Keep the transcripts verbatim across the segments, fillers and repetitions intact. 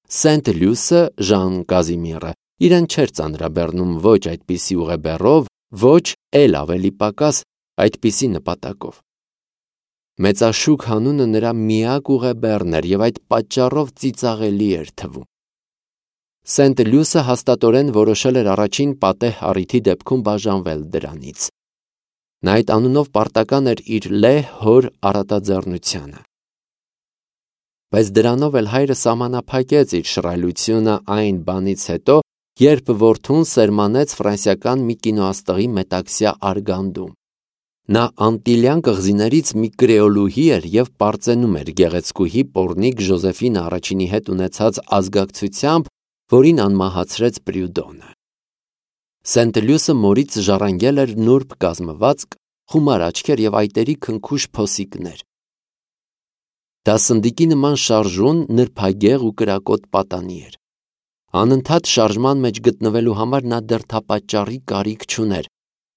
Սենտ-Լյուսը Ժան Կազիմիրը իրեն չէր ծանրաբեռնում ոչ այդպիսի ուղեբեռով, ոչ էլ ավելի պակաս այդպիսի նպատակով։ Մեծաշուք հանունը նրա միակ ուղեբեռն էր և այդ պատճառով ծիծաղելի էր թվում։ Սենտ-Լյուսը հաստատորեն որոշել էր առաջին պատեհ առիթի դեպքում բաժանվել դրանից։ Նա այդ անունով պարտական էր իր լեհ հոր առատաձեռնությանը։ Բայց դրանով էլ հայրը սահմանափակեց իր շռայլությունը այն բանից հետո, երբ որդուն սերմանեց ֆրանսիական մի կինոաստղի մետաքսյա արգանդում։ Նա Անտիլյան կղզիներից մի կրեոլուհի էր և պարծենում էր գեղեցկուհի Պորնիկ Ժոզեֆինը առաջինի հետ ունեցած ազգակցությամբ, որին անմահացրեց Պրյուդոնը։ Սենտ-Լյուսը մորից ժառանգել էր նուրբ կազմվածք, խումար աչքեր և այտերի քնքուշ փոսիկներ։ Դասնդիկի նման շարժուն, նրբագեղ ու կրակոտ պատանի էր։ Անընդհատ շարժման մեջ գտնվելու համար նա դեռ թափաճառի կարիք չուներ։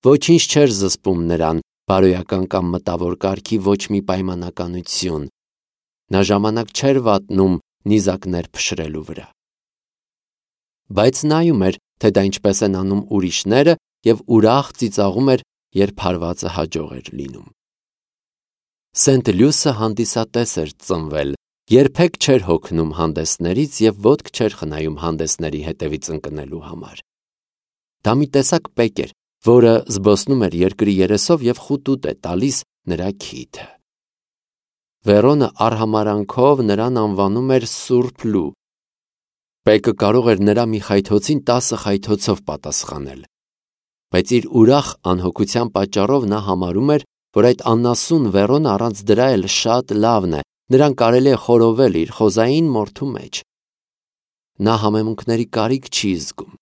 Ոչինչ չէր զսպում նրան, բարոյական կամ մտավոր կարգի ոչ մի պայմանականություն։ Նա ժամանակ չէր վատնում նիզակներ փշրելու վրա։ Բայց նայում էր, թե դա ինչպես են անում ուրիշները, և ուրախ ծիծաղում էր, երբ հարվածը հաջող էր լինում։ Սենտ-Լյուսը հանդիսատես էր ծնվել, երբեք չէր հոգնում հանդեսներից և ոտք չէր խնայում հանդեսների հետևից ընկնելու համար։ Դա մի տեսակ պեկ էր, որը զբոսնում էր երկրի երեսով և խուտուտ է տալիս նրա քիթը։ Վերոնը արհամարհանքով նրան անվանում էր Սուրբ Լու։ Պեկը կարող էր նրա մի խայթոցին տասը խայթոցով պատասխանել։ Բայց իր ուրախ անհոգության պատճառով նա համարում էր, որ այդ անասուն Վերոնը առանց դրա էլ շատ լավն է, նրան կարելի է խորովել իր խոզային մորթու մեջ։ Նա համեմունքների կարիք չի զգում։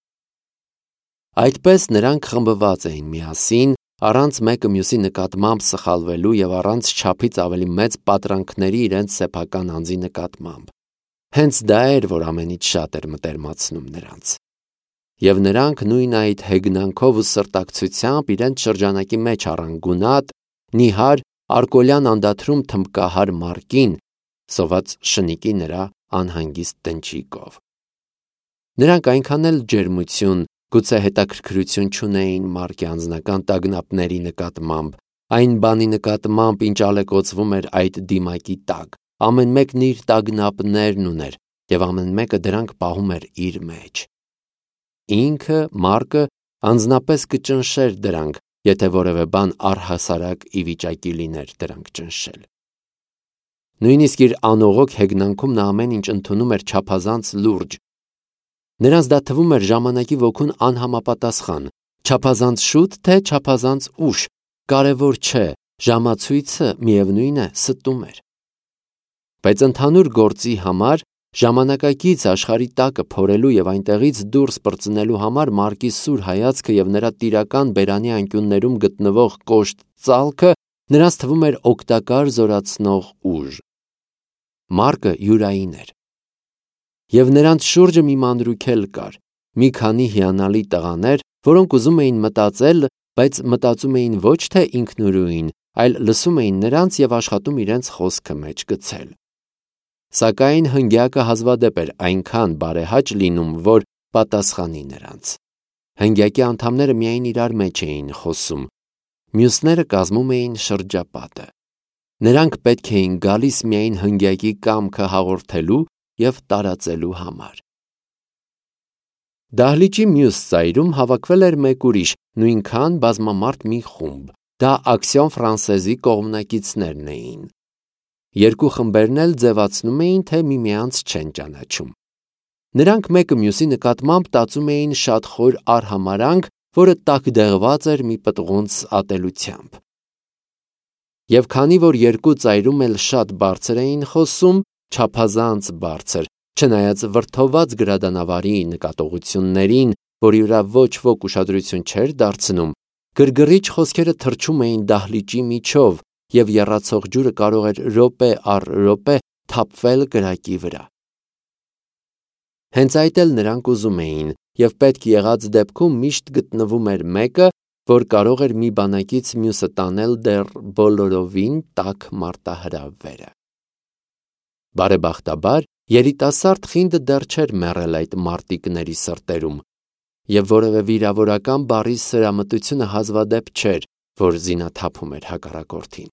Այդպես նրանք խմբված էին միասին, առանց մեկը մյուսի նկատմամբ սխալվելու և առանց չափից ավելի մեծ պատրանքների իրենց սեփական անձի նկատմամբ։ Հենց դա էր, որ ամենից շատ էր մտերմացնում նրանց։ Եվ նրանք նույն այդ հեգնանքով ու սրտակցությամբ իրենց շրջանակի մեջ առան գունատ, նիհար, արկոլյան անդադրում թմբկահար Մարկին, սոված շնիկի նրա անհանգիստ տնչիկով։ Նրանք այնքան էլ ջերմություն, գուցե հետաքրքրություն չունեին Մարկի անձնական տագնապների նկատմամբ, այն բանի նկատմամբ, ինչ ալեկոծվում էր այդ դիմակի տակ, ամեն մեկն իր տագնապներն ուներ, և ամեն մեկը դրանք պահում էր իր մեջ։ Ինքը, Մարկը, անձնապես կճնշեր դրանք, եթե որևէ բան առհասարակ ի վիճակի լիներ դրանք ճնշել։ Նույնիսկ իր անողոք հեգնանքում նա ամեն ինչ ընդունում էր չափազանց լուրջ։ Նրանց դա թվում էր ժամանակի ոգուն անհամապատասխան, չափազանց շուտ, թե չափազանց ուշ, կարևոր չէ, ժամացույցը միևնույն է ստում էր։ Բայց ընդհանուր գործի համար, ժամանակակից աշխարհի տակը փորելու և այնտեղից դուրս պրծնելու համար Մարկի սուր հայացքը և նրա տիրական բերանի անկյուններում գտնվող կոշտ ծալքը նրանց թվում էր օգտակար զորացնող ուժ։ Մարկը յուրային էր։ Եվ նրանց շուրջը մի մանրուք էլ կար, մի քանի հիանալի տղաներ, որոնք ուզում էին մտածել, բայց մտածում էին ոչ թե ինքնուրույն, այլ լսում էին նրանց և աշխատում իրենց խոսքը մեջ գցել։ Սակայն հնգյակը հազվադեպ էր այնքան բարեհաճ լինում, որ պատասխանի նրանց։ Հնգյակի անդամները միայն իրար մեջ էին խոսում, մյուսները կազմում էին շրջապատը։ Նրանք պետք էին գալիս միայն հնգյակի կամքը հաղորդելու և տարածելու համար։ Դահլիճի մյուս ծայրում հավաքվել էր մեկ ուրիշ, նույնքան բազմամարդ մի խումբ, դա Ակսիոն Ֆրանսեզի կողմնակիցներն էին։ Երկու խմբերն էլ ձևացնում էին, թե միմյանց չեն ճանաչում։ Նրանք մեկը մյուսի նկատմամբ տածում էին շատ խոր արհամարհանք, որը տակդեղված էր մի պտղունց ատելությամբ։ Եվ քանի որ երկու ծայրում էլ շատ բարձր էին խոսում, չափազանց բարձր, չնայած վրդովված գրադանավարի նկատողություններին, որի վրա ոչ ոք ուշադրություն չէր դարձնում, գրգռիչ խոսքերը թռչում էին դահլիճի միջով, և եռացող ջուրը կարող էր րոպե առ րոպե թափվել կրակի վրա։ Հենց այդ էլ նրանք ուզում էին, և պետք եղած դեպքում միշտ գտնվում էր մեկը, որ կարող էր մի բանակից մյուսը տանել դեռ բոլորովին տաք մարտահրավերը։ Բարեբախտաբար, Երիտասարդ խինդը դեռ չէր մեռել այդ մարտիկների սրտերում, և որևէ վիրավորական բառի սրամտությունը հազվադեպ չէր, որ զինաթափում էր հակառակորդին։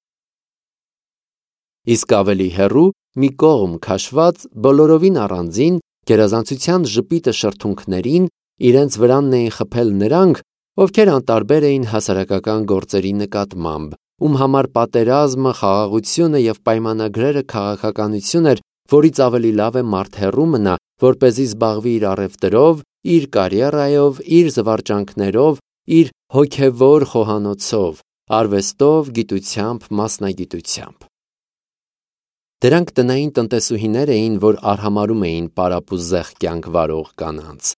Իսկ ավելի հեռու, մի կողմ քաշված, բոլորովին առանձին, գերազանցության ժպիտը շրթունքներին, իրենց վրանն էին խփել նրանք, ովքեր անտարբեր էին հասարակական գործերի նկատմամբ, ում համար պատերազմը, խաղաղությունը և պայմանագրերը քաղաքականություն էր, որից ավելի լավ է մարդ հեռու մնա, որպեսզի զբաղվի իր առևտրով, իր կարիերայով, իր զվարճանքներով, իր հոգևոր խոհանոցով, արվեստով, գիտությամբ, մասնագիտությամբ։ Դրանք տնային տնտեսուհիներ էին, որ արհամարհում էին պարապուզեղ կյանք վարող կանանց։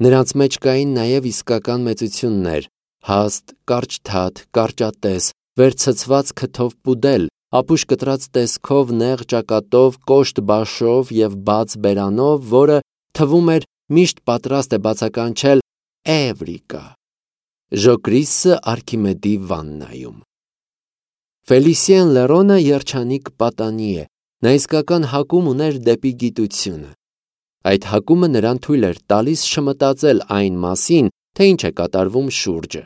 Նրանց մեջ կային նաև իսկական մեծություններ՝ հաստ, կարճթաթ, կարճատես, վերցցված քթով պուդել, ապուշ կտրած տեսքով, նեղ ճակատով, կոշտ բաշով և բաց բերանով, որը թվում էր միշտ պատրաստ է բացականչել «Էվրիկա»։ Ժոկրիսը Արքիմեդի վաննայում։ Ֆելիսիեն Լերոնը երջանիկ պատանի է, նա իսկական հակում ուներ դեպի գիտությունը։ Այդ հակումը նրան թույլ էր տալիս չմտածել այն մասին, թե ինչ է կատարվում շուրջը։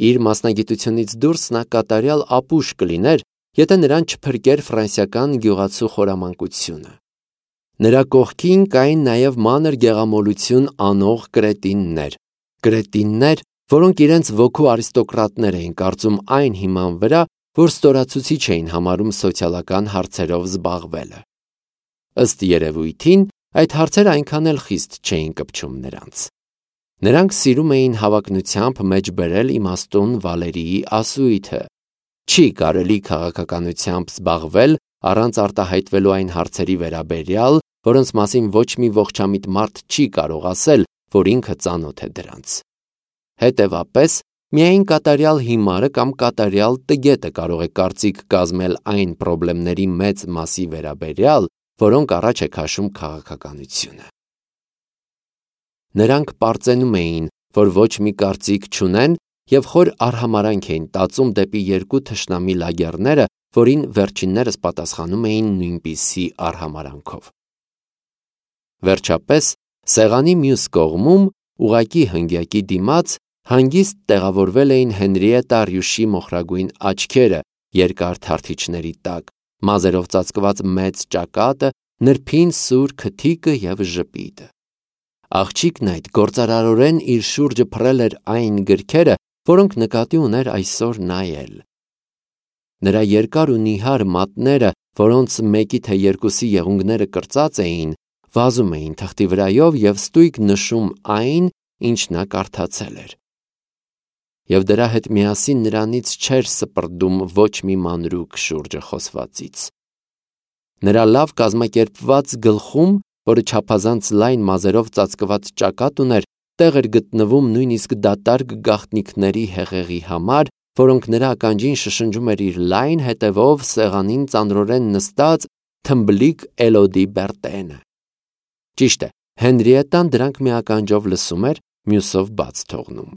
Իր մասնագիտությունից դուրս նա կատարյալ ապուշ կլիներ, եթե նրան չփրկեր ֆրանսիական գյուղացու խորամանկությունը։ Նրա կողքին կային նաև մանր գեղամոլություն անող կրետիններ, կրետիններ, որոնք իրենց ոգու արիստոկրատներ էին կարծում այն հիման վրա, որ ստորացուցիչ էին համարում սոցիալական հարցերով զբաղվելը։ Ըստ երևույթին, այդ հարցերը այնքան էլ խիստ չէին կպչում նրանց։ Նրանք սիրում էին հավակնությամբ մեջբերել իմաստուն Վալերիի ասույթը. չի կարելի քաղաքականությամբ զբաղվել առանց արտահայտվելու այն հարցերի վերաբերյալ, որոնց մասին ոչ մի ողջամիտ մարդ չի կարող ասել, որ ինքը ծանոթ է դրանց։ Հետևապես, միայն կատարյալ հիմարը կամ կատարյալ տգետը կարող է կարծիք կազմել այն պրոբլեմների մեծ մասի վերաբերյալ, որոնք առաջ է քաշում քաղաքականությունը։ Նրանք պարծենում էին, որ ոչ մի կարծիք չունեն և խոր արհամարանք էին տածում դեպի երկու թշնամի լագեռները, որին վերջիններս պատասխանում էին նույնպիսի արհամարանքով։ Վերջապես, սեղանի մյուս կողմում, ուղղակի հնգյակի դիմաց, հանգիստ տեղավորվել էին Հենրիետտա Ռյուշի մոխրագույն աչքերը երկար թարթիչների տակ, մազերով ծածկված մեծ ճակատը, նրբին սուր քթիկը և ժպիտը։ Աղջիկն այդ գործարարորեն իր շուրջը փռել էր այն գրքերը, որոնք նկատի ուներ այսօր նայել։ Նրա երկար ու նիհար մատները, որոնց մեկի թե երկուսի եղունգները կրծած էին, վազում էին թղթի վրայով և ստույգ նշում այն, ինչ նա կարդացել էր։ Եվ դրա հետ միասին նրանից չէր սպրդում ոչ մի մանրուք շուրջը խոսվածից։ Նրա լավ կազմակերպված գլխում, որը չափազանց լայն մազերով ծածկված ճակատ ուներ, տեղ էր գտնվում նույնիսկ դատարկ գաղտնիքների հեղեղի համար, որոնք նրա ականջին շշնջում էր իր լայն հետևով սեղանին ծանրորեն նստած թմբլիկ Էլոդի Բերտենը։ Ճիշտ է, Հենրիետտան դրանք մի ականջով լսում էր, մյուսով բաց թողնում։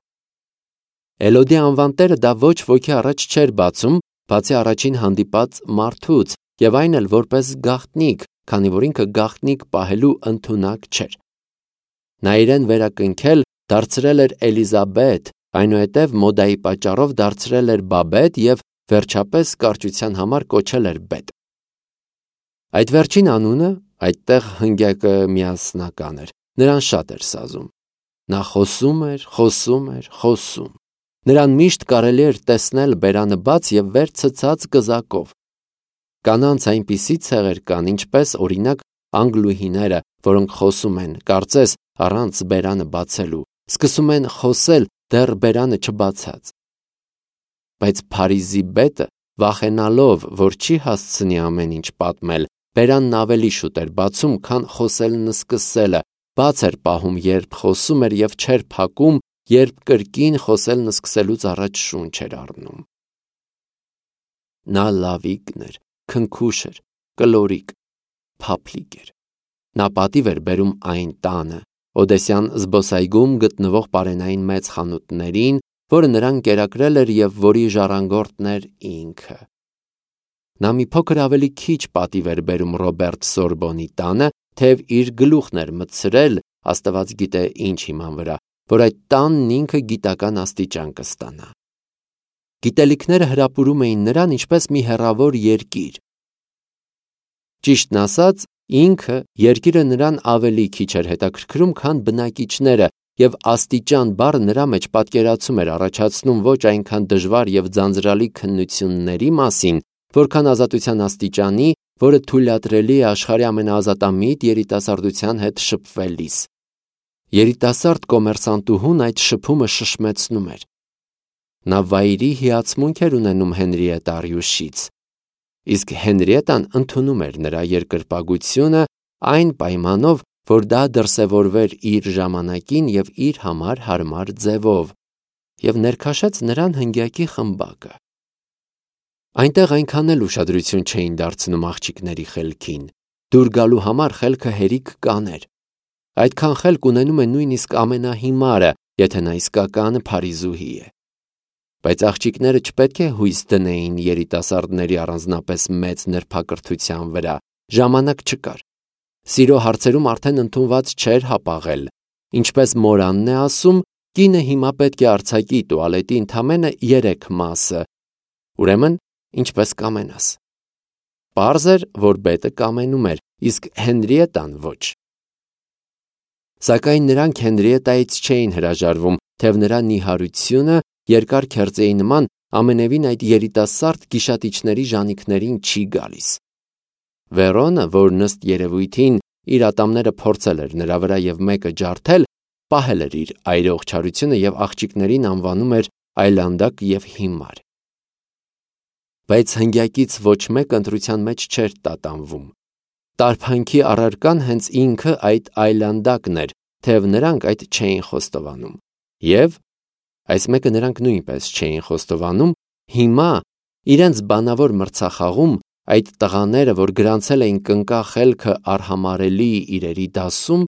Էլոդի անվան տերը դա ոչ ոքի առաջ չէր բացում, բացի առաջին հանդիպած մարդուց, և այն էլ որպես գաղտնիք, քանի որ ինքը գաղտնիք պահելու ընդունակ չէր։ Նա իրեն վերակնքել դարձրել էր Էլիզաբեթ, այնուհետև մոդայի պատճառով դարձրել էր Բաբետ և վերջապես կարճության համար կոչել էր Բետ։ Այդ վերջին անունը, այդտեղ հնգյակը միասնական էր, նրան շատ էր սազում։ Նա խոսում էր, խոսում էր, խոսում։ Նրան միշտ կարելի էր տեսնել բերանը բաց և վեր ցցած կզակով։ Կանանց այնպիսի ցեղեր կան, ինչպես, օրինակ, անգլուհիները, որոնք խոսում են, կարծես, առանց բերանը բացելու, սկսում են խոսել դեռ բերանը չբացած։ Բայց Փարիզի Բետը, վախենալով, որ չի հասցնի ամեն ինչ պատմել, բերանն ավելի շուտ էր բացում, քան խոսելն սկսելը, բաց էր պահում, երբ խոսում էր և չէր փակում, երբ կրկին խոսելն սկսելուց առաջ շունչ էր առնում։ Նա լավիկն էր, քնքուշ էր, կլորիկ, փափլիկ էր։ Նա պատիվ էր բերում այն տանը, Օդեսյան զբոսայգում գտնվող պարենային մեծ խանութներին, որը նրան կերակրել էր և որի ժառանգորդն էր ինքը։ Նա մի փոքր ավելի քիչ պատիվ էր բերում Ռոբերտ Սորբոնի տանը, թեև իր գլուխն էր մտցրել, Աստված գիտե ինչ հիման վրա, որ այդ տանն ինքը գիտական աստիճան կստանա։ Գիտելիքները հրապուրում էին նրան ինչպես մի հեռավոր երկիր։ Ճիշտն ասած, ինքը երկիրը նրան ավելի քիչ էր հետաքրքրում, քան բնակիչները, եւ աստիճան բառը նրա մեջ պատկերացում էր առաջացնում ոչ այնքան դժվար եւ ձանձրալի քննությունների մասին, որքան ազատության աստիճանի, որը թույլատրելի է աշխարհի ամենաազատամիտ երիտասարդության հետ շփվելիս։ Երիտասարդ կոմերսանտուհուն այդ շփումը շշմեցնում էր։ Նա վայրի հիացմունք էր ունենում Հենրիետա Ռյուշից, իսկ Հենրիետան ընդունում էր նրա երկրպագությունը այն պայմանով, որ դա դրսևորվեր իր ժամանակին եւ իր համար հարմար ձևով, եւ ներքաշեց նրան հնգյակի խմբակը։ Այնտեղ այնքան էլ ուշադրություն չէին դարձնում աղջիկների խելքին, դուր գալու համար խելքը հերիք կաներ։ Այդքան խելք ունենում է նույնիսկ ամենահիմարը, եթե նա իսկական փարիզուհի է։ Բայց աղջիկները չպետք է հույս դնեին երիտասարդների առանձնապես մեծ նրբակրթության վրա, ժամանակ չկար։ Սիրո հարցերում արդեն ընդունված չէր հապաղել։ Ինչպես Մորանն է ասում, կինը հիմա պետք է արձակի տուալետի ընդամենը երեք մասը։ Ուրեմն, ինչպես կամենաս։ Պարզ էր, որ բետը կամենում էր, իսկ Հենրիետան ոչ։ Սակայն նրանք Հենրիետայից չէին հրաժարվում, թեև նրա նիհարությունը երկար քերծեի նման ամենևին այդ երիտասարդ գիշատիչների ժանիքներին չի գալիս։ Վերոնը, որ նստ երևույթին իր ատամները փորձել էր նրա վրա եւ մեկը ջարդել, պահել էր իր այրող չարությունը եւ աղջիկներին անվանում էր այլանդակ եւ հիմար։ Բայց հնգյակից ոչ մեկ ընտրության մեջ չէր տատանվում։ Տարփանքի առարկան հենց ինքը այդ այլանդակն էր, թեև նրանք այդ չէին խոստովանում։ Եվ այս մեկը նրանք նույնպես չէին խոստովանում, հիմա իրենց բանավոր մրցախաղում այդ տղաները, որ գրանցել էին կնկա խելքը արհամարելի իրերի դասում,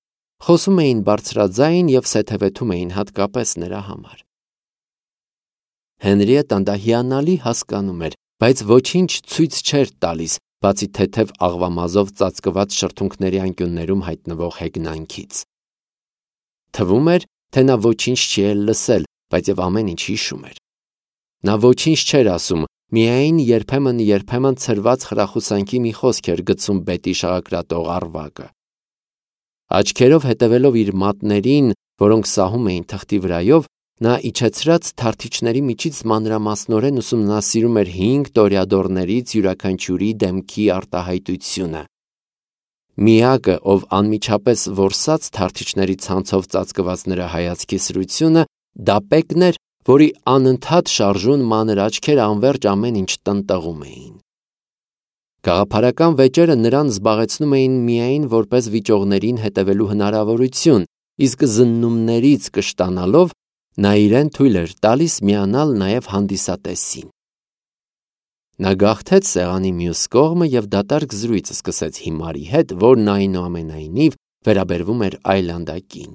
խոսում էին բարձրաձայն եւ սեթևեթում էին հատկապես նրա համար։ Հենրիետան դա հիանալի հասկանում էր, բայց ոչինչ ցույց չէր տալիս, բացի թեթև աղվամազով ծածկված շրթունքների անկյուններում հայտնվող հեգնանքից։ Թվում էր, թե նա ոչինչ չի էլ լսել, բայց եւ ամեն ինչ հիշում էր։ Նա ոչինչ չէր ասում, միայն երբեմն-երբեմն ցրված խրախուսանքի մի խոսք էր գցում բետի շաղակրատող առվակը։ Աչքերով հետևելով իր մատներին, որոնք սահում էին թղթի վրայով, նա իջեցրած թարթիչների միջից մանրամասնորեն ուսումնասիրում էր հինգ տորյադորներից յուրաքանչյուրի դեմքի արտահայտությունը։ Միակը, ով անմիջապես որսած թարթիչների ցանցով ծածկված նրա հայացքի սրությունը, դա պեկն էր, որի անընդհատ շարժուն մանր աչքերը անվերջ ամեն ինչ տնտղում էին։ Գաղափարական վեճերը նրան զբաղեցնում էին միայն որպես վիճողներին հետևելու հնարավորություն, իսկ զննումներից կշտանալով նա իրեն թույլ էր տալիս միանալ նաև հանդիսատեսին։ Նա գաղթեց սեղանի մյուս կողմը և դատարկ զրույց սկսեց հիմարի հետ, որն այնուամենայնիվ վերաբերվում էր այլանդակին։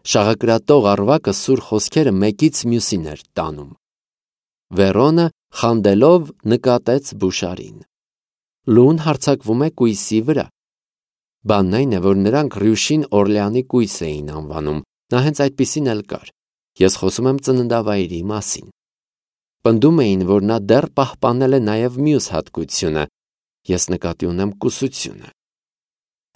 Շաղակրատող առվակը սուր խոսքերը մեկից մյուսին էր տանում։ Վերոնը խանդելով նկատեց Բուշարին։ Լուն հարձակվում է կույսի վրա։ Բանն այն է, որ նրանք Ռյուշին Օրլեանի կույս էին անվանում, նա հենց այդպիսին էլ կար։ Ես խոսում եմ ծննդավայրի մասին։ Պնդում էին, որ նա դեռ պահպանել է նաև մյուս հատկությունը, ես նկատի ունեմ կուսությունը։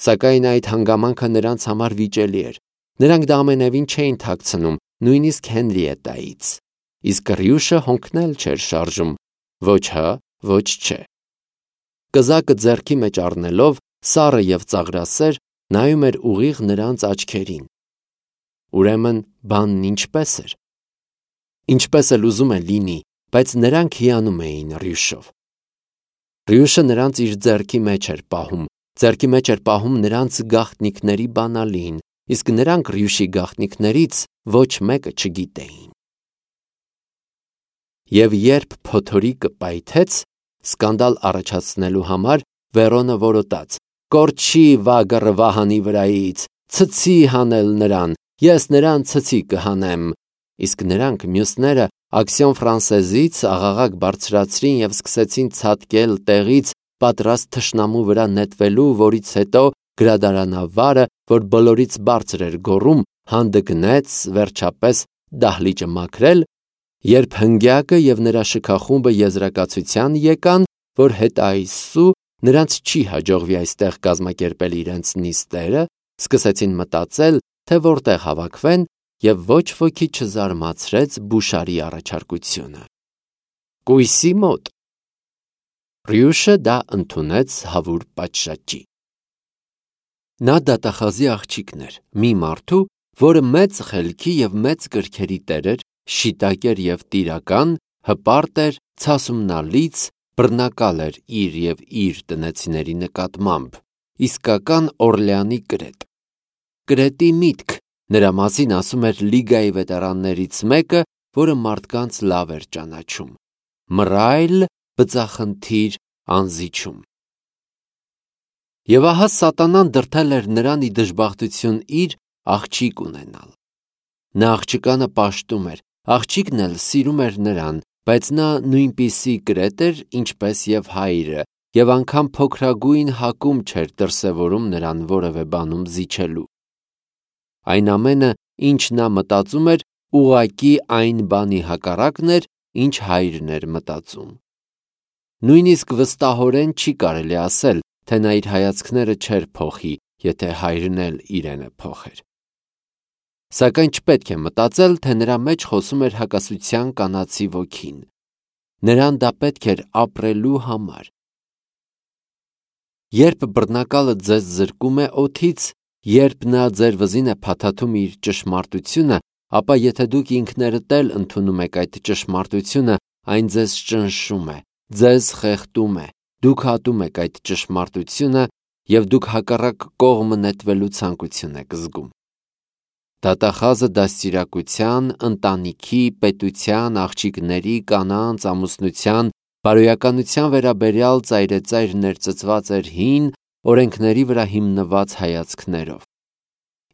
Սակայն այդ հանգամանքը նրանց համար վիճելի էր։ Նրանք դա ամենևին չէին թաքցնում, նույնիսկ Հենրիետայից։ Իսկ Ռյուշը հոնքնել չէր շարժում, ոչ հա, ոչ չէ։ Կզակը ձեռքի մեջ առնելով, սառը եւ ծաղրասեր, նայում էր ուղիղ նրանց աչքերին։ Ուրեմն բանն ինչպես էր։ Ինչպես էլ ուզում է լինի, բայց նրանք հիանում էին Ռյուշով։ Ռյուշը նրանց իր ձեռքի մեջ էր պահում, ձեռքի մեջ էր պահում նրանց գաղտնիքների բանալին, իսկ նրանք Ռյուշի գաղտնիքներից ոչ մեկը չգիտեին։ Եվ երբ փոթորիկը պայթեց, սկանդալ առաջացնելու համար Վերոնը որոտաց. «Կորչի վագը վահանի վրայից, ցցի հանել նրան, ես նրան ցցի կհանեմ», իսկ նրանք մյուսները Աքսիոն ֆրանսեզից աղաղակ բարձրացրին եւ սկսեցին ցատկել տեղից պատրաստ թշնամու վրա նետվելու, որից հետո գրադարանավարը, որ բոլորից բարձր էր գոռում, հանդգնեց վերջապես դահլիճը մաքրել, երբ հնգյակը եւ նրա շքախումբը եզրակացության եկան, որ հետը այսու նրանց չի հաջողվի այստեղ կազմակերպել իրենց նիստերը, սկսեցին մտածել, թե որտեղ հավաքվեն, եւ ոչ ոքի չզարմացրեց Բուշարի առաջարկությունը։ Կույսի մոտ։ Ռյուշը դա ընդունեց հավուր պատշաճի։ Նա դատախազի աղջիկն էր, մի մարդու, որը մեծ խելքի եւ մեծ կրքերի տեր էր, շիտակ էր եւ տիրական, հպարտ էր, ցասումնալից, բռնակալ էր իր եւ իր տնեցիների նկատմամբ, իսկական Օրլեանի կրետ։ Կրետի միտք, նրա մասին ասում էր լիգայի վետերաններից մեկը, որը մարդկանց լավ էր ճանաչում։ Մռայլ, բծախնդիր, անզիջում։ Եվ ահա սատանան դրդել էր նրան ի դժբախտություն իր աղջիկ ունենալ։ Նա աղջկանը պաշտում էր, աղջիկն էլ սիրում էր նրան, բայց նա նույնպիսի կրետ էր, ինչպես եւ հայրը, եւ անգամ փոքրագույն հակում չէր դրսևորում նրան որևէ բանում զիջելու։ Այն ամենը, ինչ նա մտածում էր, ուղակի այն բանի հակառակն էր, ինչ հայրն էր մտածում։ Նույնիսկ վստահորեն չի կարելի ասել, թե նա իր հայացքները չէր փոխի, եթե հայրն էլ իրենը փոխեր։ Սակայն չպետք է մտածել, թե նրա մեջ խոսում էր հակասության կանացի ոգին։ Նրան դա պետք էր ապրելու համար։ Երբ բռնակալը ձեզ զրկում է օդից, երբ նա ձեր վզին է փաթաթում իր ճշմարտությունը, ապա եթե դուք ինքներդ էլ ընդունում եք այդ ճշմարտությունը, այն ձեզ ճնշում է, ձեզ խեղդում է, դուք հատում եք այդ ճշմարտությունը եւ դուք հակառակ կողմը նետվելու ցանկություն եք զգում։ Դատախազը դաստիարակության, ընտանիքի, պետության, աղջիկների, կանանց, ամուսնության, բարոյականության վերաբերյալ ծայրեծայր ներծծված էր հին օրենքների վրա հիմնված հայացքներով։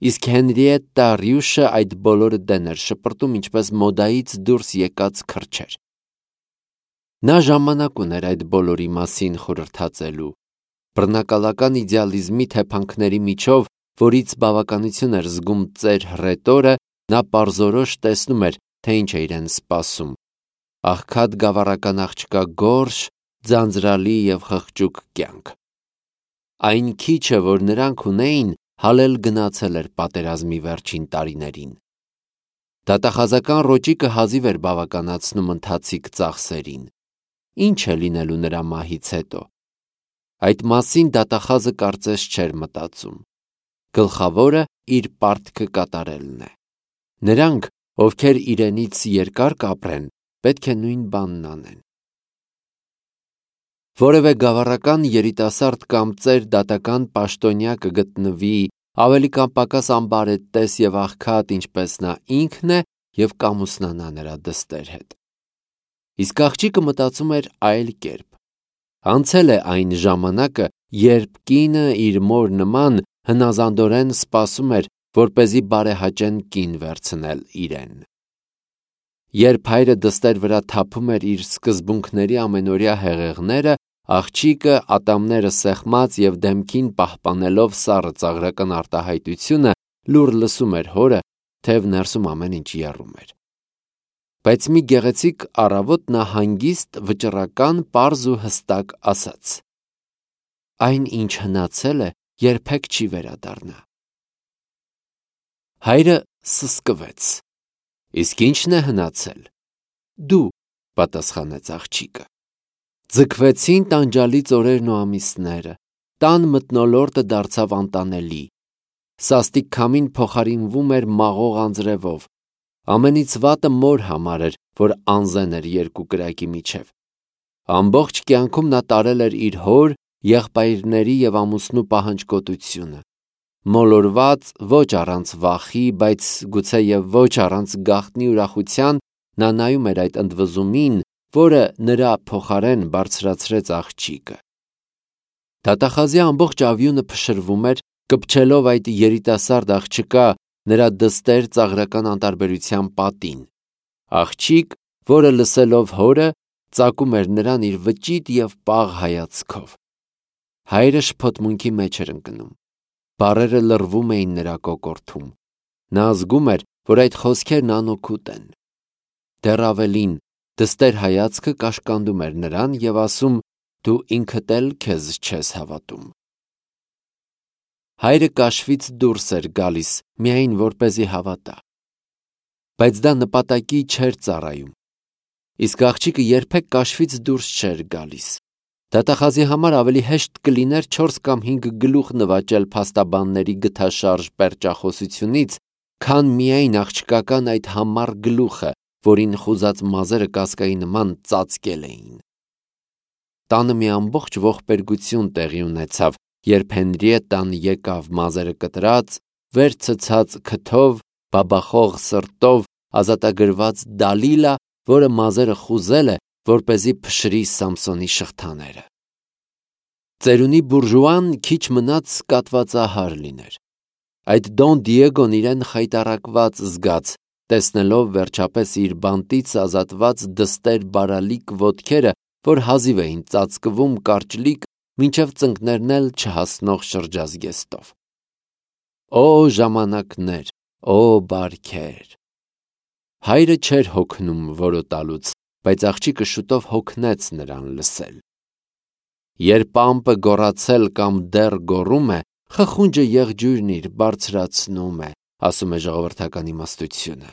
Իսկ Հենրիետտա Ռյուշը այդ բոլորը դեն էր շպրտում ինչպես մոդայից դուրս եկած քրչեր։ Նա ժամանակ ուներ այդ բոլորի մասին խորհրդածելու։ Բռնակալական իդեալիզմի թեփանքների միջով, որից բավականություն էր զգում ծեր հռետորը, նա պարզորոշ տեսնում էր, թե ինչ է իրեն սպասում։ Աղքատ գավառական աղջկա գորշ, ձանձրալի եւ խղճուկ կյանք։ Այն քիչը, որ նրանք ունեին, հալել գնացել էր պատերազմի վերջին տարիներին։ Դատախազական ռոճիկը հազիվ էր բավականացնում ընթացիկ ծախսերին։ Ինչ է լինելու նրա մահից հետո։ Այդ մասին դատախազը կարծես չէր մտածում։ Գլխավորը իր պարտքը կատարելն է։ Նրանք, ովքեր իրենից երկար կապրեն, պետք է նույն բանն անեն։ Որևէ գավառական երիտասարդ կամ ծեր դատական պաշտոնյա կգտնվի ավելի կամ պակաս ամբարետես եւ աղքատ, ինչպես նա ինքն է, եւ կամուսնանա նրա դստեր հետ։ Իսկ աղջիկը մտածում էր այլ կերպ։ Անցել է այն ժամանակը, երբ կինը իր մոր նման հնազանդորեն սպասում էր, որպեսզի բարեհաճեն կին վերցնել իրեն։ Երբ հայրը դստեր վրա թափում էր իր սկզբունքների ամենօրյա հեղեղները, աղջիկը ատամները սեղմած եւ դեմքին պահպանելով սառը ծաղրական արտահայտությունը լուր լսում էր հորը, թեև ներսում ամեն ինչ եռում էր։ Բայց մի գեղեցիկ առավոտ նա հանգիստ, վճռական, պարզ ու հստակ ասաց. այն ինչ հնացել է, երբեք չի վերադառնա։ Հայրը սսկվեց։ Իսկ ի՞նչն է հնացել։ Դու, պատասխանեց աղջիկը։ Ձգվեցին տանջալից օրերն ու ամիսները, տան մթնոլորտը դարձավ անտանելի, սաստիկ քամին փոխարինվում էր մաղող անձրևով, ամենից վատը մոր համար էր, որ անզեն էր երկու կրակի միջև։ Ամբողջ կյանքում նա տարել էր իր հոր, եղբայրների և ամուսնու պահանջկոտությունը, մոլորված ոչ առանց վախի, բայց գուցե և ոչ առանց գաղտնի ուրախության, նա նայում էր այդ ընդվզումին, որը նրա փոխարեն բարձրացրեց աղջիկը։ Դատախազի ամբողջ ավյունը փշրվում էր, կպչելով այդ երիտասարդ աղջկա նրա դստեր ծաղրական անտարբերության պատին։ Աղջիկ, որը լսելով հորը ծակում էր նրան իր վճիտ և պաղ հայացքով։ Հայրը շփոթմունքի մեջ էր ընկնում, բառերը լռվում էին նրա կոկորդում, նա զգում էր, որ այդ խոսքերն անօգուտ են։ Դեռ ավելին, դստեր հայացքը կաշկանդում էր նրան և ասում. «Դու ինքդ էլ քեզ չես հավատում»։ Հայրը կաշվից դուրս էր գալիս, միայն որպեսզի հավատա։ Բայց դա նպատակի չէր ծառայում։ Իսկ աղջիկը երբեք կաշվից դուրս չէր գալիս։ Դատախազի համար ավելի հեշտ կլիներ չորս կամ հինգ գլուխ նվաճել փաստաբանների գթաշարժ պերճախոսությունից, քան միայն աղջկական այդ համառ գլուխը, որին խուզած մազերը կասկայի նման ծածկել էին։ Տանը մի ամբողջ ողբերգություն տեղի ունեցավ, երբ Հենրիետտան եկավ մազերը կտրած, վեր ցցած քթով, բաբախող սրտով, ազատագրված Դալիլա, որը մազերը խուզել է, որպեսզի փշրի Սամսոնի շղթաները։ Ծերունի բուրժուան քիչ մնաց կատվածահար լիներ։ Այդ Դոն Դիեգոն իրեն խայտառակված զգաց, տեսնելով վերջապես իր բանտից ազատված դստեր բարալիկ ոտքերը, որ հազիվ էին ծածկվում կարճլիկ, մինչև ծնկներն էլ չհասնող շրջազգեստով։ Օ ժամանակներ, օ բարքեր։ Հայրը չէր հոգնում որոտալուց, բայց աղջիկը շուտով հոգնեց նրան լսել։ Երբ ամպը գոռացել կամ դեռ գոռում է, խխունջը եղջյուրն իր բարձրացնում է, ասում է ժողովրդական իմաստությունը։